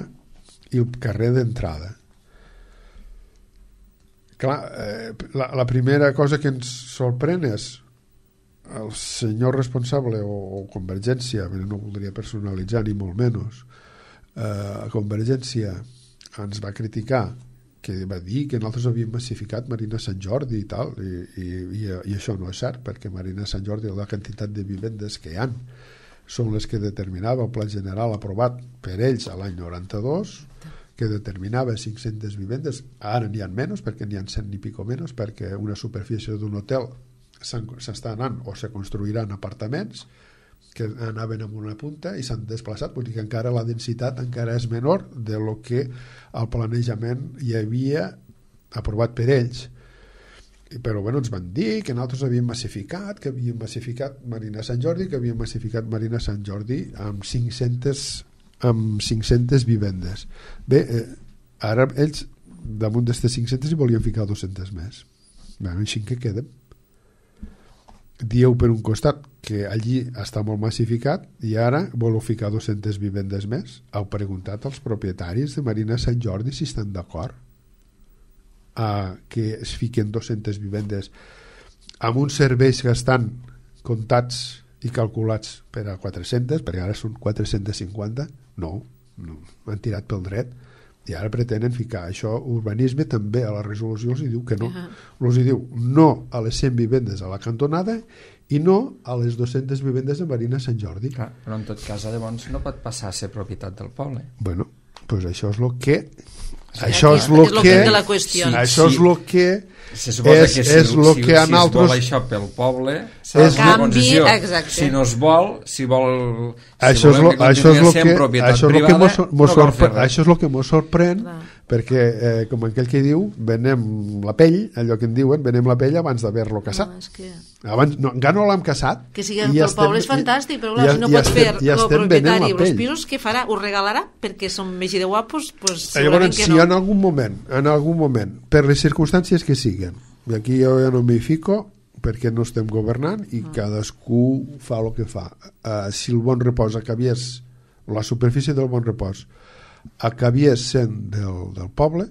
i el carrer d'entrada. Clar, la primera cosa que ens sorprèn és el senyor responsable o Convergència, no voldria personalitzar ni molt menys, Convergència ens va criticar, que va dir que nosaltres havíem massificat Marina Sant Jordi i tal, i això no és cert, perquè Marina Sant Jordi, la quantitat de vivendes que hi ha són les que determinava el Pla General aprovat per ells a l'any 92, que determinava 500 vivendes. Ara n'hi ha menys, perquè n'hi ha 100 i pico menys, perquè una superfície d'un hotel s'està anant o se construiran apartaments que anaven amb una punta i s'han desplaçat, vull dir que encara la densitat encara és menor de lo que el planejament hi havia aprovat per ells. Però bueno, ens van dir que nosaltres havíem massificat, que havíem massificat Marina Sant Jordi, que havíem massificat Marina Sant Jordi amb 500 vivendes. Bé, ara ells damunt d'aquestes 500 hi volien ficar 200 més. Bé, així que quedem. Dieu per un costat que allí està molt massificat i ara voleu ficar 200 vivendes més. Heu preguntat als propietaris de Marina Sant Jordi si estan d'acord a que es fiquen 200 vivendes amb uns serveis que estan comptats i calculats per a 400, perquè ara són 450. No, han tirat pel dret i ara pretenen ficar això. Urbanisme també a la resolució els diu que no, els diu no a les 100 vivendes a la cantonada i no a les 200 vivendes de Marina Sant Jordi. Clar, però en tot cas llavors no pot passar a ser propietat del poble. Bueno, doncs això és el que això és el que de la qüestió. Això és el que se suposa que si es altres... vol això pel poble s'ha de fer concessió. Si no es vol, si volem que continuï sent propietat privada, no cal fer res. Això és el que ens sorprèn, perquè com aquell que diu, venem la pell, allò que en diuen, venem la pell abans d'haver-lo caçat. Abans, encara no l'hem caçat. Que sigui el poble és fantàstic, però clar, si no pot fer el propietari els pisos, què farà? Ho regalarà perquè són més de guapos? Llavors, si en algun moment, per les circumstàncies que siguen, i aquí jo ja no m'hi fico, perquè no estem governant i cadascú fa el que fa. Si el Bon Repòs acabies, la superfície del Bon Repòs acabies sent del poble,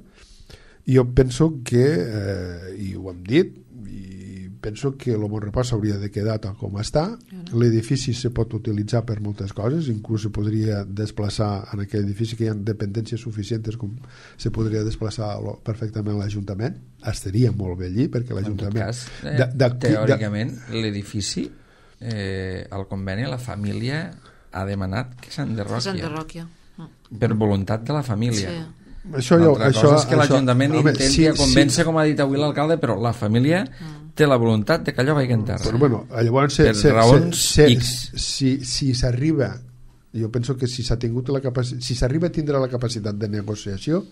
jo penso que, i ho hem dit, i penso que el Bon Repòs hauria de quedar tal com està. L'edifici se pot utilitzar per moltes coses, inclús se podria desplaçar en aquell edifici que hi ha dependències suficients com se podria desplaçar perfectament l'Ajuntament. Estaria molt bé allí perquè l'Ajuntament... En tot cas, teòricament l'edifici, el conveni, la família ha demanat que s'enderroqui. Per voluntat de la família. L'altra cosa és que l'Ajuntament intenti convèncer, com ha dit avui l'alcalde, però la família té la voluntat de que allò vagi en terra. Però bueno, llavors, per raons X. Si s'arriba, jo penso que si s'ha tingut la capacitat, si s'arriba a tindre la capacitat de negociació,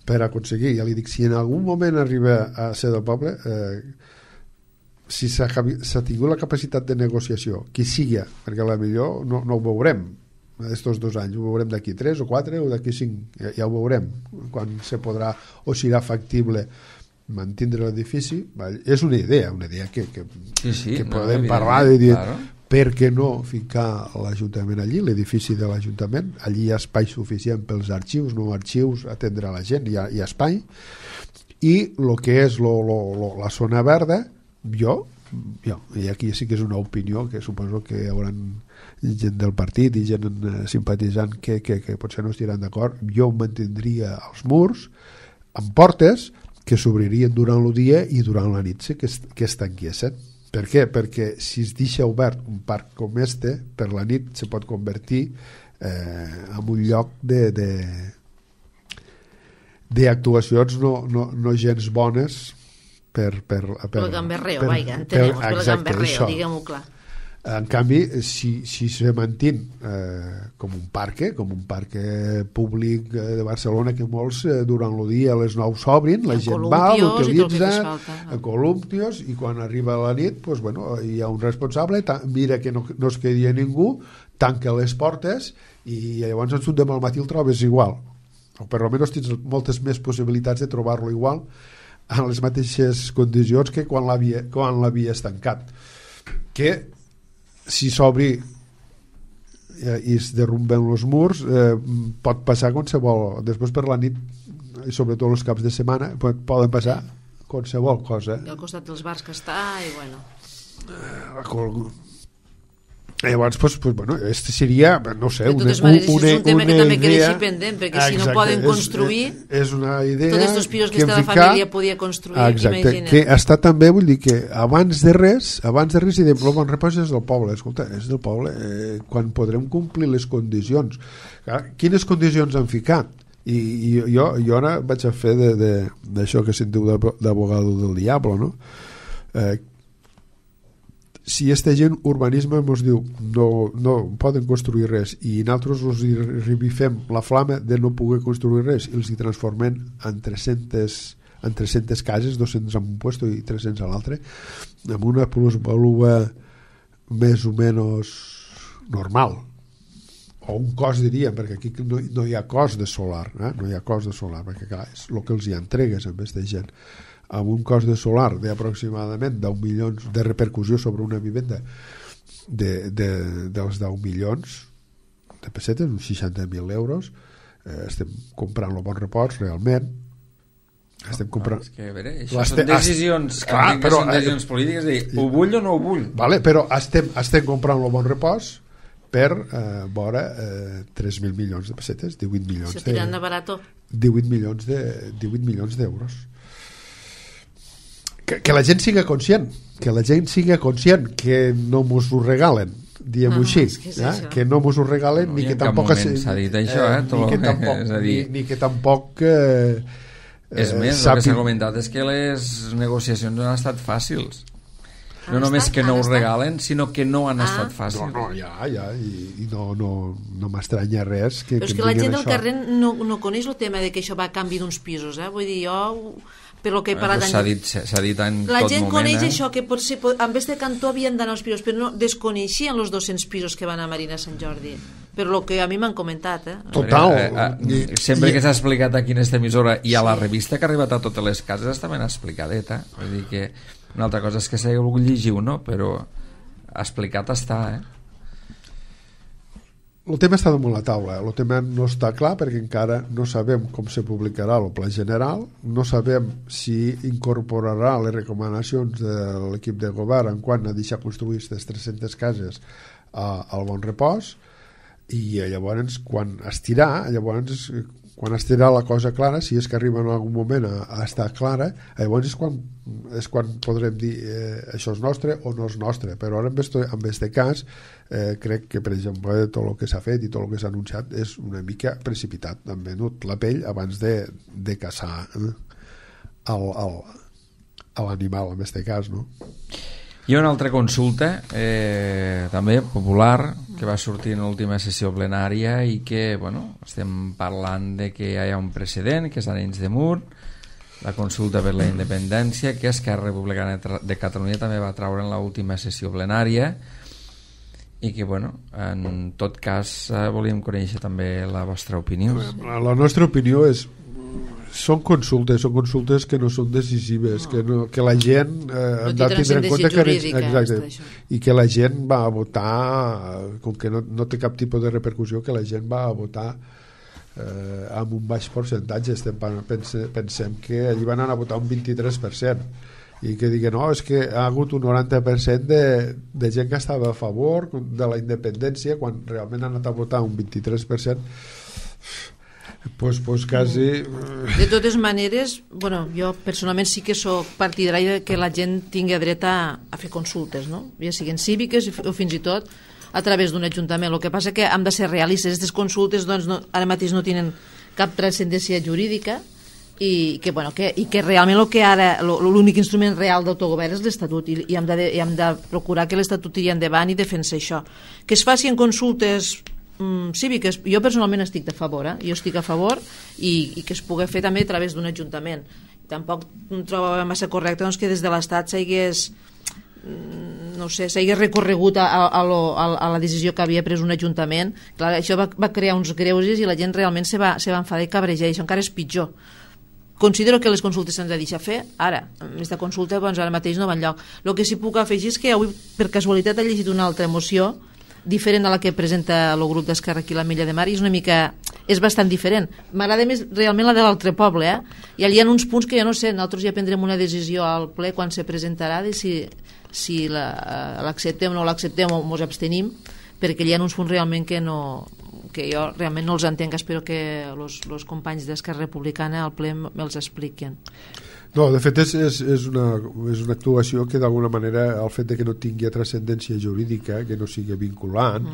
per aconseguir, ja li dic, si en algun moment arriba a ser del poble, si s'ha tingut la capacitat de negociació, qui sigui, perquè a la millor no ho veurem estos 2 anys, ho veurem d'aquí 3 o 4 o d'aquí 5, ja ho veurem quan se podrà o serà factible mantindre l'edifici. És una idea que podem parlar de dir, claro. Per què no ficar l'Ajuntament allí, l'edifici de l'Ajuntament, allí hi ha espai suficient pels arxius, atendre a la gent, hi ha espai, i el que és la zona verda, jo, i aquí sí que és una opinió que suposo que hi haurà gent del partit i gent simpatitzant que potser no estiran d'acord, jo mantindria els murs amb portes que s'obririen durant el dia i durant la nit que es tanquessin. Per què? Perquè si es deixa obert un parc com este, per la nit se pot convertir en un lloc d'actuacions no gens bones per gamberreo, entenem, per gamberreo, diguem-ho clar. En canvi, si se mantén com un parc públic de Barcelona, que molts durant el dia a les 9 s'obrin, la gent va, l'utilitza a columpios, i quan arriba la nit hi ha un responsable, mira que no es quedi ningú, tanca les portes i llavors en surt demà al matí el trobes igual, o per almenys tens moltes més possibilitats de trobar-lo igual en les mateixes condicions que quan l'havies tancat. Que si s'obri i es derrumben els murs, pot passar qualsevol, després per la nit i sobretot els caps de setmana poden passar qualsevol cosa. I al costat dels bars que està, i bueno, llavors este seria, no sé, de totes maneres és un tema que també queda així pendent, perquè si no poden construir, és una idea tots els pisos que la família podia construir, imagina't. Que està també, vull dir que abans de res i de el Bon Repòs és del poble, escolta, és del poble, quan podrem complir les condicions. Quines condicions han ficat? I jo ara vaig a fer d'això que sentiu d'abogado del diablo, no? Si aquesta gent urbanisme ens diu no poden construir res i nosaltres us revifem la flama de no poder construir res i els hi transformem en 300 cases, 200 en un puesto i 300 a l'altre, amb una plusvalua més o menys normal, o un cost, diríem, perquè aquí no hi ha cost de solar, no hi ha cost de solar, perquè clar, és el que els hi entregues amb aquesta gent, amb un cost de solar d'aproximadament 10 milions de repercussió sobre una vivenda dels 10 milions de pessetes, uns 60.000 euros, estem comprant el Bon Repòs realment, estem comprant... És que, a veure, això són decisions, són decisions polítiques, ho vull o no ho vull? Vale, però estem comprant el Bon Repòs per vora 3.000 milions de pessetes, 18 milions se tiran de barato. 18 milions d'euros. Que la gent siga conscient, que no mos ho regalen, diguem-ho així, que no mos ho regalen, ni que tampoc s'ha dit això, ni que tampoc és més, el que s'ha comentat és que les negociacions no han estat fàcils, no només que no ho regalen, sinó que no han estat fàcils. I no m'estranya res però és que la gent del carrer no coneix el tema de que això va a canvi d'uns pisos, vull dir, jo per lo que he parlat s'ha dit en la tot gent moment, coneix això, que potser en vez de Cantó havien d'anar als pisos, però no desconeixien els 200 pisos que van a Marina Sant Jordi, per lo que a mi m'han comentat. Total. Sempre que s'ha explicat aquí en esta emissora i a la revista que ha arribat a totes les cases està ben explicadeta, vull dir que una altra cosa és que s'hagi volgut llegir o no, però explicat està, El tema està damunt la taula, el tema no està clar perquè encara no sabem com se publicarà el pla general, no sabem si incorporarà les recomanacions de l'equip de govern en quant a deixar construir aquestes 300 cases al Bon Repòs, i llavors quan estirà la cosa clara, si és que arriba en algun moment a estar clara, llavors és quan podrem dir això és nostre o no és nostre, però ara en aquest cas crec que per exemple tot el que s'ha fet i tot el que s'ha anunciat és una mica precipitat, han venut la pell abans de caçar l'animal en aquest cas, no? Hi ha una altra consulta, també popular, que va sortir en l'última sessió plenària i que, bueno, estem parlant de que hi ha un precedent, que és Arenys de Munt, la consulta per la independència, que Esquerra Republicana de Catalunya també va traure en l'última sessió plenària i que, bueno, en tot cas volíem conèixer també la vostra opinió. La nostra opinió és són consultes que no són decisives, que la gent ha de tindre en compte i que la gent va a votar, com que no té cap tipus de repercussió, que la gent va a votar amb un baix percentatge. Pensem que allí van anar a votar un 23%, i que diguen, no, és que ha hagut un 90% de gent que estava a favor de la independència, quan realment han anat a votar un 23%. Pues quasi... De totes maneres, bueno, jo personalment sí que soc partidari de que la gent tingui dret a fer consultes, no? Ja siguin cíviques o fins i tot a través d'un ajuntament. El que passa que hem de ser realistes. Aquestes consultes doncs, ara mateix no tenen cap transcendència jurídica i que realment l'únic instrument real d'autogovern és l'Estatut i hem de procurar que l'Estatut tiri endavant i defensar això. Que es facin consultes cíviques, jo personalment estic a favor, jo estic a favor i que es pugui fer també a través d'un ajuntament. Tampoc em trobo massa correcte doncs, que des de l'Estat s'hagués recorregut a la decisió que havia pres un ajuntament. Clar, això va crear uns greuges i la gent realment se va enfadar i cabrejar, i això encara és pitjor. Considero que les consultes s'han de deixar fer ara. Aquesta consulta doncs, ara mateix no va enlloc. El que sí puc afegir és que avui per casualitat he llegit una altra moció diferent a la que presenta el grup d'Esquerra aquí a l'Ametlla de Mar, i és bastant diferent. M'agrada més realment la de l'altre poble, i allà hi ha uns punts que jo no sé, nosaltres ja prendrem una decisió al ple quan se presentarà de si l'acceptem o no l'acceptem o ens abstenim, perquè hi ha uns punts realment que jo realment no els entenc. Espero que els companys d'Esquerra Republicana al ple me'ls expliquen. No, de fet és una actuació que d'alguna manera el fet de que no tingui transcendència jurídica, que no sigui vinculant,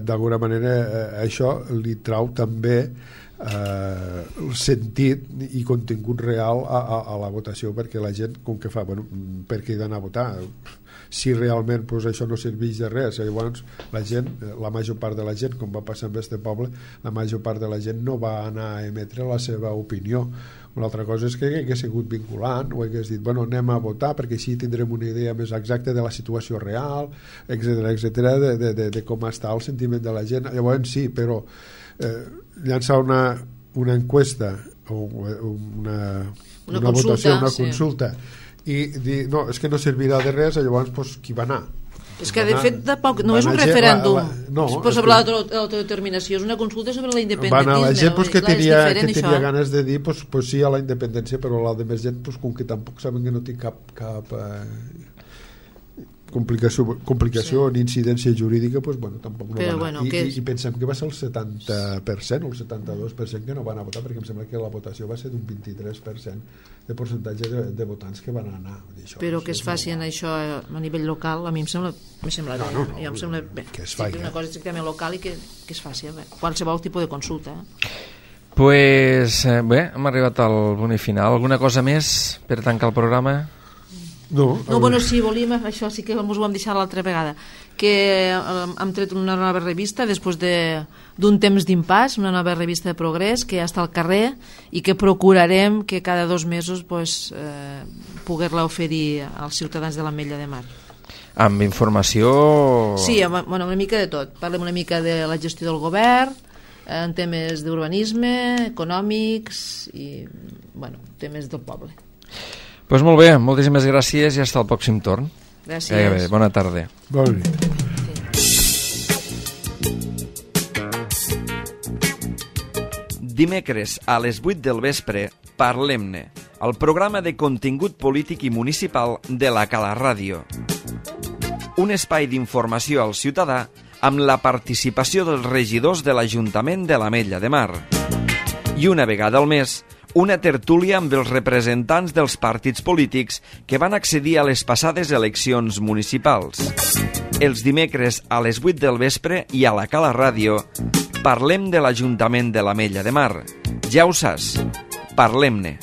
d'alguna manera això li trau també el sentit i contingut real a la votació, perquè la gent, com que fa, per què he d'anar a votar? Si realment això no serveix de res. Llavors la major part de la gent, com va passar amb este poble, la major part de la gent no va anar a emetre la seva opinió. Una altra cosa és que hagués sigut vinculant o hagués dit, anem a votar perquè així tindrem una idea més exacta de la situació real, etcètera, de com està el sentiment de la gent. Llavors sí, però llançar una enquesta o una votació, una consulta, i dir, no, és que no servirà de res, llavors qui va anar? És que de fet no és un referèndum sobre l'autodeterminació, és una consulta sobre la independentisme. Va anar la gent que tenia ganes de dir sí a la independència, però la de més gent com que tampoc saben que no té cap complicació ni incidència jurídica, tampoc no va anar. I pensem que va ser el 70% o el 72% que no van a votar, perquè em sembla que la votació va ser d'un 23% de percentatge de votants que van anar. Però que es facin això a nivell local, a mi em sembla bé. Em sembla bé que es faci una cosa estrictament local i que es faci qualsevol tipus de consulta. Pues bé, hem arribat al punt final. Alguna cosa més per tancar el programa? Sí, volíem, això sí que ens ho vam deixar l'altra vegada, que hem tret una nova revista després d'un temps d'impàs, una nova revista de progrés que ja està al carrer i que procurarem que cada 2 mesos poder-la oferir als ciutadans de l'Ametlla de Mar. Amb informació... Sí, una mica de tot. Parlem una mica de la gestió del govern, en temes d'urbanisme, econòmics i temes del poble. Doncs molt bé, moltíssimes gràcies i fins al pròxim torn. Gràcies. Bona tarda. Bona nit. Dimecres a les 8 del vespre, Parlem-ne, el programa de contingut polític i municipal de la Cala Ràdio. Un espai d'informació al ciutadà amb la participació dels regidors de l'Ajuntament de l'Ametlla de Mar. I una vegada al mes, una tertúlia amb els representants dels partits polítics que van accedir a les passades eleccions municipals. Els dimecres a les 8 del vespre i a la Cala Ràdio parlem de l'Ajuntament de l'Ametlla de Mar. Ja ho saps, parlem-ne.